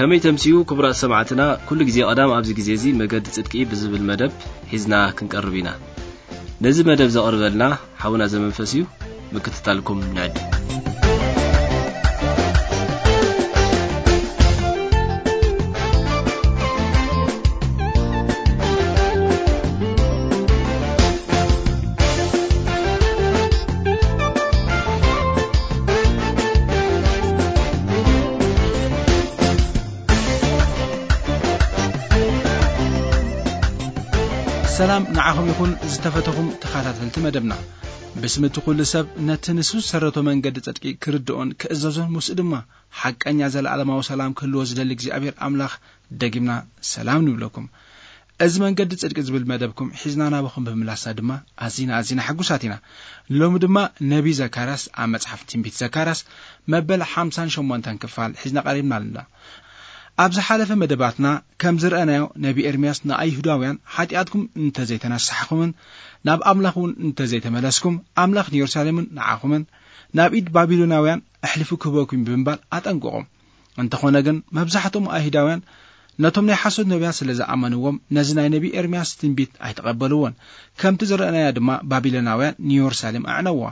ከመይ ተምስዩ ክቡራት ሰማዕትና፣ ኩሉ ግዜ ቀዳም ኣብዚ ግዜ እዚ መገዲ ጽድቂ ብዝብል መደብ ሒዝና ክንቀርብ ኢና። ነዚ መደብ ዘቕርበልና ሓውና ዘመንፈስ እዩ። ምክትታልኩም ንዕድ። ሰላም ንዓኹም ይኹን ዝተፈተኹም ተኸታተልቲ መደብና። ብስም እቲ ኩሉ ሰብ ነቲ ንሱ ዝሰረቶ መንገዲ ጽድቂ ክርድኦን ክእዘዞን ምስኡ ድማ ሓቀኛ ዘለኣለማዊ ሰላም ክህልዎ ዝደሊ እግዚኣብሔር ኣምላኽ ደጊምና ሰላም ንብለኩም። እዚ መንገዲ ጽድቂ ዝብል መደብኩም ሒዝና ናባኹም ብምምላስና ድማ ኣዚና ኣዚና ሕጉሳት ኢና። ሎሚ ድማ ነቢ ዘካርያስ ኣብ መጽሓፍ ትንቢት ዘካርያስ መበል ሓምሳን ሸሞንተን ክፋል ሒዝና ቀሪብና ኣለና። ኣብ ዝሓለፈ መደባትና ከም ዝረኣናዮ ነቢ ኤርምያስ ንኣይሁዳውያን ሓጢኣትኩም እንተዘይተነሳሕኹምን ናብ ኣምላኽ እውን እንተዘይተመለስኩም ኣምላኽ ንየሩሳሌምን ንዓኹምን ናብ ኢድ ባቢሎናውያን ኣሕሊፉ ክህበኩም ብምባል ኣጠንቅቖም። እንተኾነ ግን መብዛሕትኦም ኣይሁዳውያን ነቶም ናይ ሓሶት ነቢያት ስለ ዝኣመንዎም ነዚ ናይ ነቢ ኤርምያስ ትንቢት ኣይተቐበልዎን። ከምቲ ዝረኣናዮ ድማ ባቢሎናውያን ንየሩሳሌም ኣዕነዋ።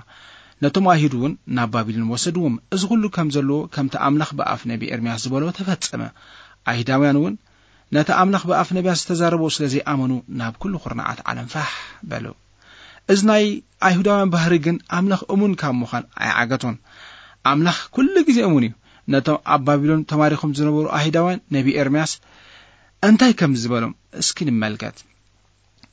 ነቶም ኣይሁድ እውን ናብ ባቢሎን ወሰድዎም። እዚ ኩሉ ከም ዘለዎ ከምቲ ኣምላኽ ብኣፍ ነቢ ኤርምያስ ዝበሎ ተፈጸመ። ኣይሁዳውያን እውን ነቲ ኣምላኽ ብኣፍ ነቢያት ዝተዛረቦ ስለ ዘይኣመኑ ናብ ኩሉ ኩርናዓት ዓለም ፋሕ በሉ። እዚ ናይ ኣይሁዳውያን ባህሪ ግን ኣምላኽ እሙን ካብ ምዃን ኣይዓገቶን። ኣምላኽ ኩሉ ግዜ እሙን እዩ። ነቶም ኣብ ባቢሎን ተማሪኾም ዝነበሩ ኣይሁዳውያን ነቢ ኤርምያስ እንታይ ከም ዝበሎም እስኪ ንመልከት።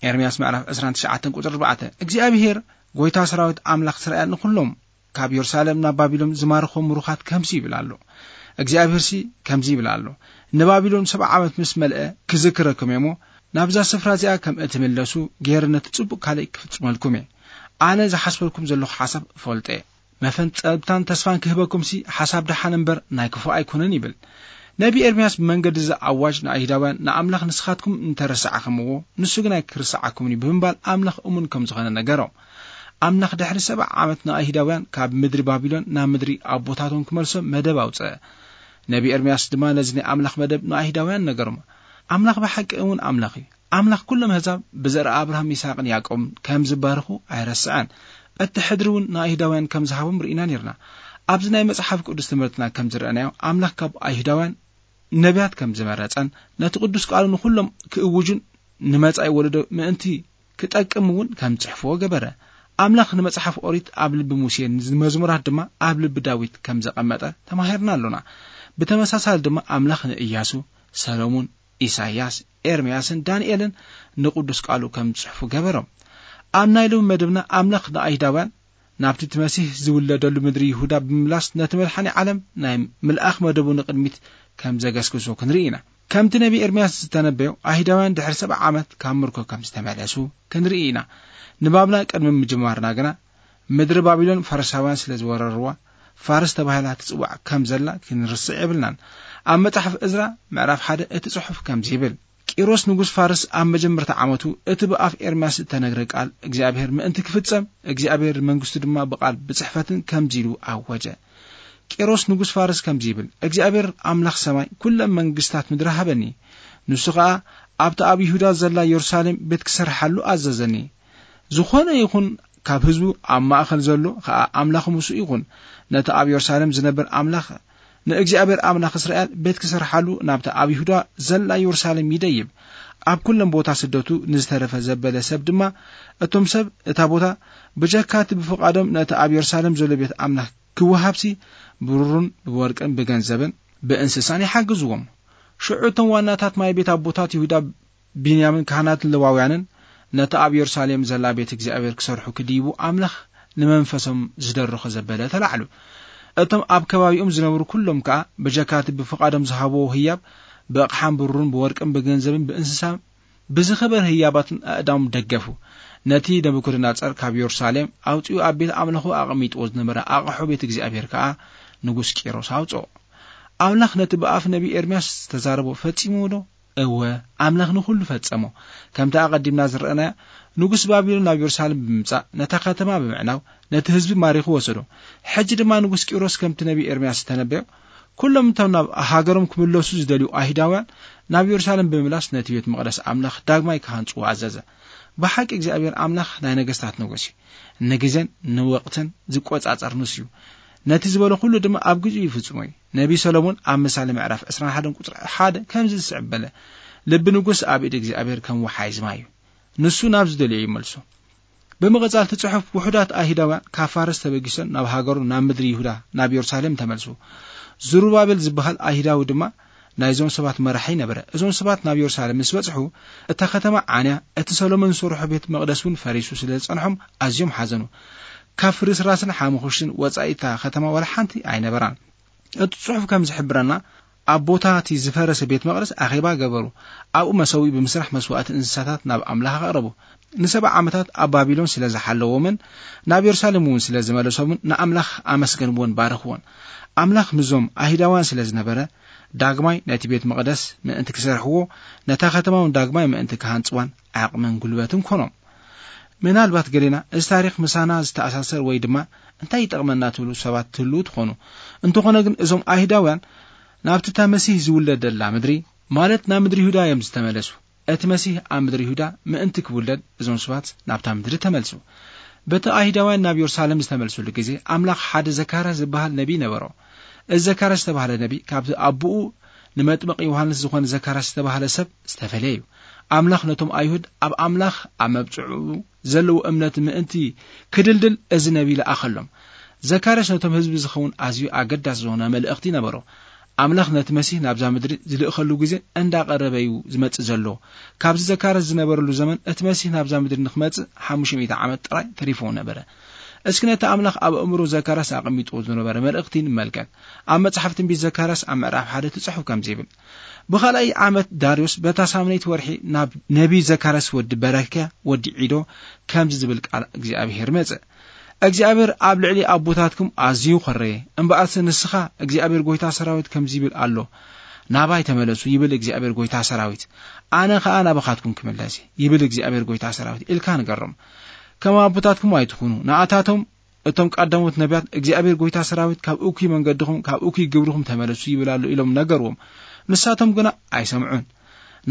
ኤርምያስ ምዕራፍ ዕስራን ትሽዓተን ቁጽሪ ኣርባዕተ፣ እግዚኣብሄር ጎይታ ሰራዊት ኣምላኽ እስራኤል ንኹሎም ካብ የሩሳሌም ናብ ባቢሎን ዝማርኾም ምሩኻት ከምዚ ይብል ኣሎ። እግዚኣብሄርሲ ከምዚ ይብል ኣሎ፣ ንባቢሎን ሰብዓ ዓመት ምስ መልአ ክዝክረኩም እየ እሞ፣ ናብዛ ስፍራ እዚኣ ከም እትምለሱ ገይረ ነቲ ጽቡቕ ካልእ ክፍጽመልኩም እየ። ኣነ ዝሓስበልኩም ዘለኹ ሓሳብ እፈልጦ እየ። መፈንጸብታን ተስፋን ክህበኩምሲ ሓሳብ ደሓን እምበር ናይ ክፉእ ኣይኮነን ይብል። ነቢ ኤርምያስ ብመንገዲ እዚ ኣዋጅ ንኣይሁዳውያን ንኣምላኽ ንስኻትኩም እንተረሳዕኹምዎ ንሱ ግን ኣይክርስዓኩምን እዩ ብምባል ኣምላኽ እሙን ከም ዝኾነ ነገሮም። ኣምላኽ ድሕሪ ሰብዓ ዓመት ንኣይሁዳውያን ካብ ምድሪ ባቢሎን ናብ ምድሪ ኣቦታቶም ክመልሶም መደብ ኣውጸአ። ነቢ ኤርምያስ ድማ ነዚ ናይ ኣምላኽ መደብ ንኣይሁዳውያን ነገሮም። ኣምላኽ ብሓቂ እውን ኣምላኽ እዩ። ኣምላኽ ኩሎም ኣህዛብ ብዘርኢ ኣብርሃም ይስሐቅን ያዕቆብን ከም ዝባርኹ ኣይረስዐን። እቲ ሕድሪ እውን ንኣይሁዳውያን ከም ዝሃቦም ርኢና ነርና። ኣብዚ ናይ መጽሓፍ ቅዱስ ትምህርትና ከም ዝረኣናዮ ኣምላኽ ካብ ኣይሁዳውያን ነቢያት ከም ዝመረጸን ነቲ ቅዱስ ቃሉ ንኹሎም ክእውጁን ንመጻኢ ወለዶ ምእንቲ ክጠቅም እውን ከም ጽሕፍዎ ገበረ። ኣምላኽ ንመጽሓፍ ኦሪት ኣብ ልቢ ሙሴ ንመዝሙራት ድማ ኣብ ልቢ ዳዊት ከም ዘቐመጠ ተማሂርና ኣሎና። ብተመሳሳሊ ድማ ኣምላኽ ንእያሱ፣ ሰሎሙን፣ ኢሳይያስ፣ ኤርምያስን ዳንኤልን ንቅዱስ ቃሉ ከም ዝጽሕፉ ገበሮም። ኣብ ናይ ሎሚ መደብና ኣምላኽ ንኣይሁዳውያን ናብቲ እቲ መሲህ ዝውለደሉ ምድሪ ይሁዳ ብምምላስ ነቲ መድሓኒ ዓለም ናይ ምልኣኽ መደቡ ንቕድሚት ከም ዘገስግሶ ክንርኢ ኢና። ከምቲ ነቢ ኤርምያስ ዝተነበዮ ኣይሁዳውያን ድሕሪ ሰብዓ ዓመት ካብ ምርኮ ከም ዝተመለሱ ክንርኢ ኢና። ንባብና ቅድሚ ምጅማርና ግና ምድሪ ባቢሎን ፋርሳውያን ስለ ዝወረርዋ ፋርስ ተባሂላ ትጽዋዕ ከም ዘላ ክንርስዕ የብልናን። ኣብ መጽሓፍ እዝራ ምዕራፍ ሓደ እቲ ጽሑፍ ከምዚ ይብል፣ ቂሮስ ንጉስ ፋርስ ኣብ መጀመርታ ዓመቱ እቲ ብኣፍ ኤርምያስ እተነግረ ቃል እግዚኣብሔር ምእንቲ ክፍጸም እግዚኣብሔር መንግስቱ ድማ ብቓል ብጽሕፈትን ከምዚ ኢሉ ኣወጀ። ቂሮስ ንጉስ ፋርስ ከምዚ ይብል፣ እግዚኣብሔር ኣምላኽ ሰማይ ኩለን መንግስታት ምድሪ ሃበኒ። ንሱ ኸኣ ኣብቲ ኣብ ይሁዳ ዘላ የሩሳሌም ቤት ክሰርሓሉ ኣዘዘኒ። ዝኾነ ይኹን ካብ ህዝቡ ኣብ ማእኸል ዘሎ ኸኣ ኣምላኽ ምስኡ ይኹን። ነቲ ኣብ የሩሳሌም ዝነብር ኣምላኽ ንእግዚኣብሔር ኣምላኽ እስራኤል ቤት ክሰርሓሉ ናብታ ኣብ ይሁዳ ዘላ የሩሳሌም ይደይብ። ኣብ ኩለን ቦታ ስደቱ ንዝተረፈ ዘበለ ሰብ ድማ እቶም ሰብ እታ ቦታ ብጀካ እቲ ብፍቓዶም ነቲ ኣብ የሩሳሌም ዘሎ ቤት ኣምላኽ ክወሃብሲ ብሩርን ብወርቅን ብገንዘብን ብእንስሳን ይሓግዝዎም። ሽዑ እቶም ዋናታት ማይ ቤት ኣቦታት ይሁዳ ብንያምን ካህናትን ለዋውያንን ነቲ ኣብ የሩሳሌም ዘላ ቤት እግዚኣብሔር ክሰርሑ ክድይቡ ኣምላኽ ንመንፈሶም ዝደረኾ ዘበለ ተላዕሉ። እቶም ኣብ ከባቢኦም ዝነብሩ ኩሎም ከኣ ብጀካቲ ብፍቓዶም ዝሃብዎ ህያብ ብኣቕሓን ብሩርን ብወርቅን ብገንዘብን ብእንስሳን ብዝኸበረ ህያባትን ኣእዳዎም ደገፉ። ነቲ ነቡከደነጻር ካብ የሩሳሌም ኣውጺኡ ኣብ ቤት ኣምልኾ ኣቐሚጥዎ ዝነበረ ኣቕሑ ቤት እግዚኣብሔር ከኣ ንጉስ ቂሮስ ኣውጽኦ። ኣምላኽ ነቲ ብኣፍ ነቢ ኤርምያስ ዝተዛረቦ ፈጺምዎ ዶ? እወ፣ ኣምላኽ ንኹሉ ፈጸሞ። ከምቲ ኣቐዲምና ዝረኣናዮ፣ ንጉስ ባቢሎን ናብ የሩሳሌም ብምምጻእ፣ ነታ ከተማ ብምዕናው፣ ነቲ ህዝቢ ማሪኹ ወሰዶ። ሕጂ ድማ ንጉስ ቂሮስ ከምቲ ነቢ ኤርምያስ ዝተነበዮ፣ ኩሎም እቶም ናብ ሃገሮም ክምለሱ ዝደልዩ ኣይሁዳውያን ናብ የሩሳሌም ብምምላስ ነቲ ቤት መቕደስ ኣምላኽ ዳግማይ ክሃንጽዎ ኣዘዘ። ብሓቂ እግዚኣብሔር ኣምላኽ ናይ ነገስታት ንጉስ እዩ። ንግዜን ንወቕትን ዝቆጻጸር ንሱ እዩ። ነቲ ዝበሎ ኩሉ ድማ ኣብ ግዜኡ ይፍጽሞ እዩ። ነቢ ሰሎሞን ኣብ ምሳሌ ምዕራፍ ዕስራን ሓደን ቁጽሪ ሓደ ከምዚ ዝስዕብ በለ፣ "ልቢ ንጉስ ኣብ ኢድ እግዚኣብሔር ከም ወሓይዝ ማይ እዩ። ንሱ ናብ ዝደልዮ ይመልሶ።" ብምቕጻል እቲ ጽሑፍ፣ ውሑዳት ኣይሁዳውያን ካብ ፋርስ ተበጊሶም ናብ ሃገሩ፣ ናብ ምድሪ ይሁዳ፣ ናብ የሩሳሌም ተመልሱ። ዝሩባቤል ዝበሃል ኣይሁዳዊ ድማ ናይዞም ሰባት መራሒ ነበረ። እዞም ሰባት ናብ የሩሳሌም ምስ በጽሑ፣ እታ ከተማ ዓንያ፣ እቲ ሰሎሞን ዝሰርሖ ቤት መቕደስ እውን ፈሪሱ ስለ ዝጸንሖም ኣዝዮም ሓዘኑ። ካብ ፍርስራስን ሓሙኽሽትን ወጻኢ እታ ከተማ ዋላ ሓንቲ ኣይነበራን። እቲ ጽሑፍ ከም ዝሕብረና፣ ኣብ ቦታ እቲ ዝፈረሰ ቤት መቕደስ ኣኼባ ገበሩ። ኣብኡ መሰውኢ ብምስራሕ መስዋእቲ እንስሳታት ናብ ኣምላኽ ኣቕረቡ። ንሰብዓ ዓመታት ኣብ ባቢሎን ስለ ዝሓለዎምን ናብ የሩሳሌም እውን ስለ ዝመለሶምን ንኣምላኽ ኣመስገንዎን ባረኽዎን። ኣምላኽ ምዞም ኣይሁዳውያን ስለ ዝነበረ፣ ዳግማይ ነቲ ቤት መቕደስ ምእንቲ ክሰርሕዎ፣ ነታ ከተማ እውን ዳግማይ ምእንቲ ክሃንጽዋን ዓቕምን ጉልበትን ኮኖም። ምናልባት ገሌና፣ "እዚ ታሪኽ ምሳና ዝተኣሳሰር ወይ ድማ እንታይ ይጠቕመና?" ትብሉ ሰባት ትህልዉ ትኾኑ። እንተኾነ ግን፣ እዞም ኣይሁዳውያን ናብቲ እታ መሲህ ዝውለደላ ምድሪ፣ ማለት ናብ ምድሪ ይሁዳ እዮም ዝተመለሱ። እቲ መሲህ ኣብ ምድሪ ይሁዳ ምእንቲ ክውለድ፣ እዞም ሰባት ናብታ ምድሪ ተመልሱ። በቲ ኣይሁዳውያን ናብ የሩሳሌም ዝተመልሱሉ ግዜ፣ ኣምላኽ ሓደ ዘካርያስ ዝበሃል ነቢይ ነበሮ። እዚ ዘካርያስ ዝተባህለ ነቢይ፣ ካብቲ ኣቦኡ ንመጥምቕ ዮሃንስ ዝኾነ ዘካርያስ ዝተባህለ ሰብ ዝተፈለየ እዩ። ኣምላኽ ነቶም ኣይሁድ ኣብ ኣምላኽ ኣብ መብጽዑ ዘለዎ እምነት ምእንቲ ክድልድል፣ እዚ ነቢይ ለኣኸሎም። ዘካርያስ ነቶም ህዝቢ ዝኸውን ኣዝዩ ኣገዳሲ ዝኾነ መልእኽቲ ነበሮ። ኣምላኽ ነቲ መሲህ ናብዛ ምድሪ ዝልእኸሉ ግዜ እንዳቐረበ እዩ ዝመጽእ ዘሎ። ካብዚ ዘካርያስ ዝነበረሉ ዘመን፣ እቲ መሲህ ናብዛ ምድሪ ንክመጽእ ሓሙሽተ ሚእቲ ዓመት ጥራይ ተሪፍዎ ነበረ። እስኪ ነቲ ኣምላኽ ኣብ ኣእምሮ ዘካርያስ ኣቐሚጥዎ ዝነበረ መልእኽቲ ንመልከት። ኣብ መጽሓፍ ትንቢት ዘካርያስ ኣብ ምዕራፍ ሓደ ትጽሑፍ ከምዚ ይብል፣ "ብኻልኣይ ዓመት ዳርዮስ በታ ሳምነይቲ ወርሒ ናብ ነቢ ዘካርያስ ወዲ በረክያ ወዲ ዒዶ ከምዚ ዝብል ቃል እግዚኣብሔር መጸ። እግዚኣብሔር ኣብ ልዕሊ ኣቦታትኩም ኣዝዩ ኾረየ። እምበኣርሲ ንስኻ፣ እግዚኣብሔር ጎይታ ሰራዊት ከምዚ ይብል ኣሎ፣ ናባይ ተመለሱ፣ ይብል እግዚኣብሔር ጎይታ ሰራዊት። ኣነ ኸኣ ናባኻትኩም ክምለስ፣ ይብል እግዚኣብሔር ጎይታ ሰራዊት፣ ኢልካ ንገሮም። ከም ኣቦታትኩም ኣይትኹኑ። ንኣታቶም፣ እቶም ቀዳሞት ነቢያት፣ እግዚኣብሔር ጎይታ ሰራዊት፣ ካብ እኩይ መንገድኹም፣ ካብ እኩይ ግብርኹም ተመለሱ ይብል ኣሎ፣ ኢሎም ነገርዎም። ንሳቶም ግና ኣይሰምዑን፣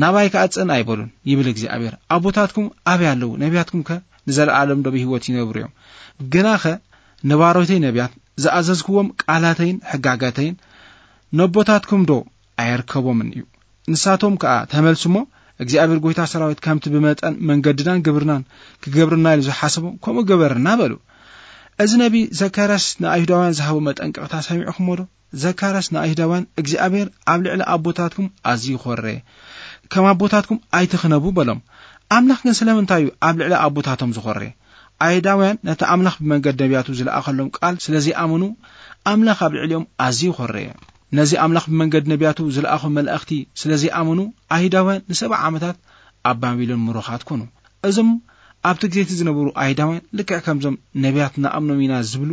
ናባይ ከኣ ጽን ኣይበሉን፣ ይብል እግዚኣብሔር። ኣቦታትኩም ኣበይ ኣለዉ? ነቢያትኩም ከ ንዘለኣለም ዶ ብህይወት ይነብሩ እዮም? ግናኸ ንባሮተይ ነቢያት ዝኣዘዝክዎም ቃላተይን ሕጋጋተይን ነቦታትኩም ዶ ኣየርከቦምን እዩ? ንሳቶም ከኣ ተመልሱ እሞ፣ እግዚኣብሔር ጎይታ ሰራዊት ከምቲ ብመጠን መንገድናን ግብርናን ክገብርና ኢሉ ዝሓሰቦ ከምኡ ገበርና በሉ። እዚ ነቢ ዘካርያስ ንኣይሁዳውያን ዝሃቦ መጠንቀቕታ ሰሚዕኹሞ ዶ? ዘካርያስ ንኣይሁዳውያን፣ "እግዚኣብሔር ኣብ ልዕሊ ኣቦታትኩም ኣዝዩ ኾረ፣ ከም ኣቦታትኩም ኣይትኽነቡ" በሎም። ኣምላኽ ግን ስለምንታይ እዩ ኣብ ልዕሊ ኣቦታቶም ዝኾረ? ኣይሁዳውያን ነቲ ኣምላኽ ብመንገድ ነቢያቱ ዝለኣኸሎም ቃል ስለ ዘይኣመኑ፣ ኣምላኽ ኣብ ልዕሊኦም ኣዝዩ ኾረየ። ነዚ ኣምላኽ ብመንገድ ነቢያቱ ዝለኣኾ መላእኽቲ ስለ ዘይኣመኑ፣ ኣይሁዳውያን ንሰብዓ ዓመታት ኣብ ባቢሎን ምሩኻት ኮኑ። እዞም ኣብቲ ግዜ እቲ ዝነበሩ ኣይሁዳውያን፣ ልክዕ ከምዞም ነቢያት ንኣምኖም ኢና ዝብሉ፣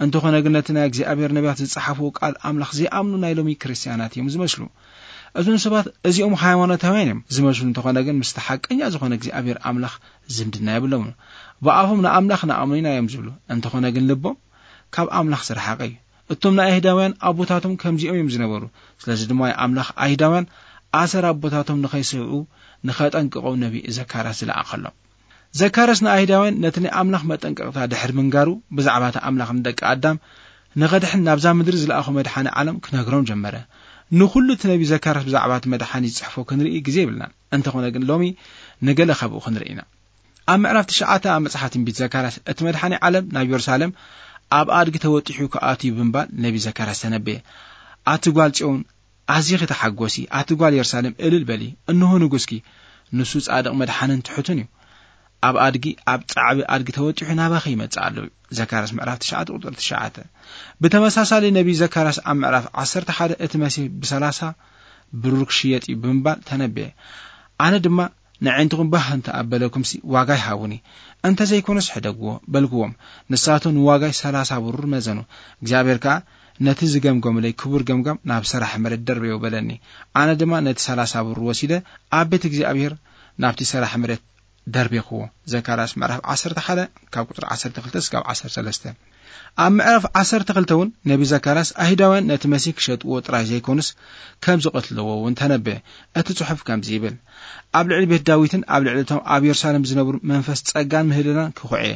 እንተኾነ ግን ነቲ ናይ እግዚኣብሔር ነቢያት ዝጸሓፍዎ ቃል ኣምላኽ ዘይኣምኑ ናይ ሎሚ ክርስትያናት እዮም ዝመስሉ። እዞም ሰባት እዚኦም ሃይማኖታውያን እዮም ዝመስሉ፣ እንተኾነ ግን ምስቲ ሓቀኛ ዝኾነ እግዚኣብሔር ኣምላኽ ዝምድና የብሎምን። ብኣፎም ንኣምላኽ ንኣምኖ ኢና እዮም ዝብሉ፣ እንተኾነ ግን ልቦም ካብ ኣምላኽ ዝረሓቐ እዩ። እቶም ናይ ኣይሁዳውያን ኣቦታቶም ከምዚኦም እዮም ዝነበሩ። ስለዚ ድማ ኣምላኽ ኣይሁዳውያን ኣሰር ኣቦታቶም ንኸይስዕቡ ንኸጠንቅቖም ነቢ ዘካርያስ ዝለኣኸሎም። ዘካርያስ ንኣይሁዳውያን ነቲ ናይ ኣምላኽ መጠንቀቕታ ድሕሪ ምንጋሩ፣ ብዛዕባ እቲ ኣምላኽ ንደቂ ኣዳም ንኸድሕን ናብዛ ምድሪ ዝለኣኾ መድሓኒ ዓለም ክነግሮም ጀመረ። ንኹሉ እቲ ነቢ ዘካርያስ ብዛዕባ እቲ መድሓኒ ዝጽሕፎ ክንርኢ ግዜ የብልናን። እንተኾነ ግን ሎሚ ንገለ ካብኡ ክንርኢ ኢና። ኣብ ምዕራፍ ትሽዓተ ኣብ መጽሓፍ ትንቢት ዘካርያስ፣ እቲ መድሓኒ ዓለም ናብ የሩሳሌም ኣብ ኣድጊ ተወጢሑ ክኣትዩ ብምባል ነቢ ዘካርያስ ተነበየ። ኣቲ ጓል ጽዮን፣ ኣዚኺ ተሓጎሲ፣ ኣቲ ጓል የሩሳሌም፣ እልል በሊ፣ እንሆ ንጉስኪ፣ ንሱ ጻድቕ መድሓንን ትሑትን እዩ። ኣብ ኣድጊ፣ ኣብ ጻዕቢ ኣድጊ ተወጢሑ ናባኺ ይመጽእ ኣሎ። ዘካርያስ ምዕራፍ ትሽዓተ ቁጽሪ ትሽዓተ። ብተመሳሳሊ ነቢ ዘካርያስ ኣብ ምዕራፍ ዓሰርተ ሓደ እቲ መሲህ ብሰላሳ ብሩር ክሽየጥ እዩ ብምባል ተነበየ። ኣነ ድማ፣ "ንዕንትኹም ባህ እንተ ኣበለኩምሲ ዋጋይ ሃቡኒ፣ እንተ ዘይኮነስ ሕደግዎ" በልክዎም። ንሳቶም ንዋጋይ ሰላሳ ብሩር መዘኑ። እግዚኣብሔር ከኣ፣ "ነቲ ዝገምገሙለይ ክቡር ገምጋም ናብ ሰራሕ መሬት ደርበዮ" በለኒ። ኣነ ድማ ነቲ ሰላሳ ብሩር ወሲደ ኣብ ቤት እግዚኣብሔር ናብቲ ሰራሕ መሬት ደርቢኽዎ። ዘካርያስ ምዕራፍ ዓሰርተ ሓደ ካብ ቁጽሪ ዓሰርተ ክልተ እስካብ ዓሰርተ ሰለስተ። ኣብ ምዕራፍ ዓሰርተ ክልተ እውን ነቢ ዘካርያስ ኣይሁዳውያን ነቲ መሲህ ክሸጥዎ ጥራይ ዘይኮኑስ ከም ዝቐትልዎ እውን ተነበየ። እቲ ጽሑፍ ከምዚ ይብል፣ ኣብ ልዕሊ ቤት ዳዊትን ኣብ ልዕሊ እቶም ኣብ የሩሳሌም ዝነብሩ መንፈስ ጸጋን ምህልላን ክኹዕየ፣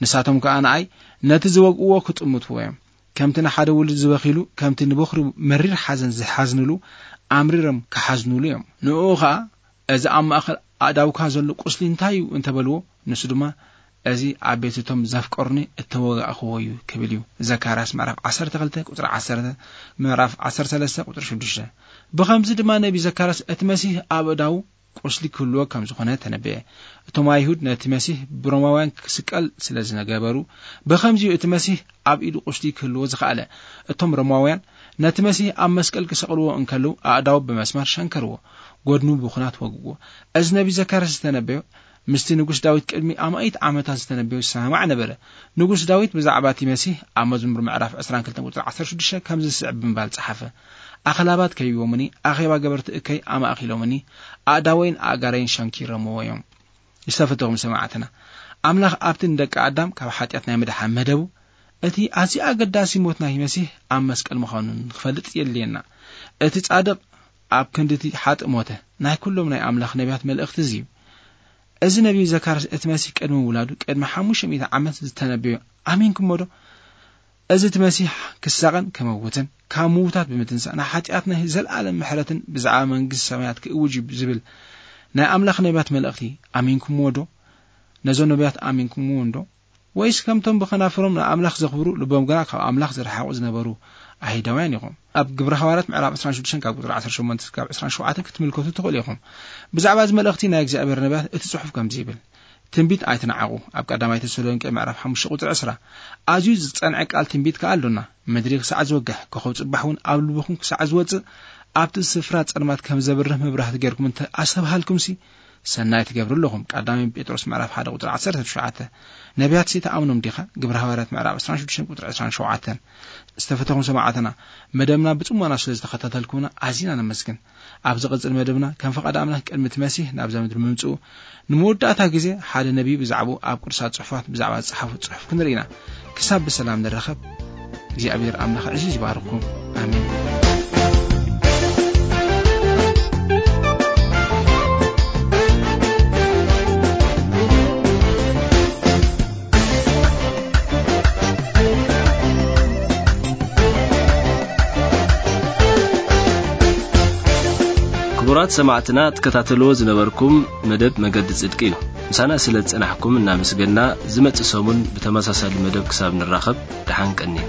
ንሳቶም ከኣ ንኣይ ነቲ ዝወግእዎ ክጥምትዎ እዮም። ከምቲ ንሓደ ውሉድ ዝበኺሉ፣ ከምቲ ንበኹሪ መሪር ሓዘን ዝሓዝንሉ፣ ኣምሪሮም ክሓዝንሉ እዮም። ንእኡ ኸኣ፣ እዚ ኣብ ማእከል ኣእዳውካ ዘሎ ቁስሊ እንታይ እዩ እንተበልዎ፣ ንሱ ድማ፣ እዚ ኣብ ቤት እቶም ዘፍቀሩኒ እተወጋእክዎ እዩ ክብል እዩ። ዘካርያስ ምዕራፍ ዓሰርተ ክልተ ቁጽሪ ዓሰርተ፣ ምዕራፍ ዓሰርተ ሰለስተ ቁጽሪ ሽዱሽተ። ብኸምዚ ድማ ነቢ ዘካርያስ እቲ መሲህ ኣብ ኣእዳዉ ቁስሊ ክህልዎ ከም ዝኾነ ተነበየ። እቶም ኣይሁድ ነቲ መሲህ ብሮማውያን ክስቀል ስለ ዝነገበሩ፣ ብኸምዚኡ እቲ መሲህ ኣብ ኢዱ ቁስሊ ክህልዎ ዝኸኣለ። እቶም ሮማውያን ነቲ መሲህ ኣብ መስቀል ክሰቕልዎ እንከለዉ፣ ኣእዳዉ ብመስማር ሸንከርዎ፣ ጎድኑ ብኹናት ወግዎ። እዚ ነቢ ዘካርያስ ዝተነበዮ ምስቲ ንጉስ ዳዊት ቅድሚ ኣማኢት ዓመታት ዝተነበዮ ዝሰማማዕ ነበረ። ንጉስ ዳዊት ብዛዕባ እቲ መሲህ ኣብ መዝሙር ምዕራፍ ዕስራን ክልተን ቁጽሪ ዓሰርተ ሽዱሽተ ከምዚ ዝስዕብ ብምባል ጸሓፈ፣ ኣኽላባት ከቢቦምኒ፣ ኣኼባ ገበርቲ እከይ ኣማእኪሎምኒ፣ ኣእዳወይን ኣእጋረይን ሸንኪሮምዎ እዮም። ዝተፈተኹም ሰማዕትና፣ ኣምላኽ ኣብቲ ንደቂ ኣዳም ካብ ሓጢኣት ናይ ምድሓን መደቡ፣ እቲ ኣዝዩ ኣገዳሲ ሞት ናይ መሲህ ኣብ መስቀል ምዃኑ ንኽፈልጥ የድልየና። እቲ ጻድቕ ኣብ ክንዲ እቲ ሓጥእ ሞተ። ናይ ኩሎም ናይ ኣምላኽ ነቢያት መልእኽቲ እዚ እዩ። እዚ ነቢይ ዘካርያስ እቲ መሲህ ቅድሚ ውላዱ ቅድሚ ሓሙሽተ ሚእቲ ዓመት ዝተነበዮ ኣሚንኩሞ ዶ? እዚ እቲ መሲህ ክሳቐን ክመውትን ካብ ምዉታት ብምትንሳእ ንሓጢኣትና ዘለኣለም ምሕረትን ብዛዕባ መንግስቲ ሰማያት ክእውጅ እዩ ዝብል ናይ ኣምላኽ ነቢያት መልእኽቲ ኣሚንኩምዎ ዶ? ነዞም ነቢያት ኣሚንኩምዎ እንዶ? ወይስ ከምቶም ብኸናፍሮም ንኣምላኽ ዘኽብሩ ልቦም ግና ካብ ኣምላኽ ዝረሓቑ ዝነበሩ ኣይሁዳውያን ኢኹም? ኣብ ግብረ ሃዋርያት ምዕራፍ ዕስራን ሽዱሽተን ካብ ቁጽሪ ዓሰርተ ሸሞንተ ክሳብ ዕስራን ሸውዓተን ክትምልከቱ ትኽእሉ ኢኹም። ብዛዕባ እዚ መልእኽቲ ናይ እግዚኣብሔር ነቢያት እቲ ጽሑፍ ከምዚ ይብል፣ ትንቢት ኣይትንዓቑ። ኣብ ቀዳማይ ተሰሎንቄ ምዕራፍ ሓሙሽተ ቁጽሪ ዕስራ። ኣዝዩ ዝጸንዐ ቃል ትንቢት ከኣ ኣሎና። ምድሪ ክሳዕ ዝወግሕ፣ ኮኸብ ጽባሕ እውን ኣብ ልብኹም ክሳዕ ዝወጽእ፣ ኣብቲ ስፍራ ጸልማት ከም ዘብርህ መብራህቲ ጌርኩም እንተ ኣስተብሃልኩምሲ፣ ሰናይ ትገብሩ ኣለኹም። ቀዳማይ ጴጥሮስ ምዕራፍ ሓደ ቁጽሪ ዓሰርተ ትሽዓተ። ነቢያትሲ ትኣምኖም ዲኻ? ግብረ ሃዋርያት ምዕራፍ ዕስራን ሽዱሽተን ቁጽሪ ዕስራን ሸውዓተን። ዝተፈተኹም ሰማዕትና፣ መደብና ብጽሞና ስለ ዝተኸታተልኩምና ኣዚና ነመስግን። ኣብ ዝቕጽል መደብና፣ ከም ፈቓድ ኣምላኽ ቅድሚ እቲ መሲህ ናብዛ ምድሪ ምምጽኡ፣ ንመወዳእታ ግዜ ሓደ ነቢይ ብዛዕባኡ ኣብ ቅዱሳት ጽሑፋት ብዛዕባ ዝጸሓፎ ጽሑፍ ክንርኢ ኢና። ክሳብ ብሰላም ንራኸብ፣ እግዚኣብሔር ኣምላኽ ዕዚዝ ይባርኽኩም። ኣሜን። ክቡራት ሰማዕትና፣ ትከታተልዎ ዝነበርኩም መደብ መገዲ ጽድቂ እዩ። ምሳና ስለ ዝጸናሕኩም እናመስገና፣ ዝመጽእ ሰሙን ብተመሳሳሊ መደብ ክሳብ ንራኸብ፣ ደሓን ቀንዩ።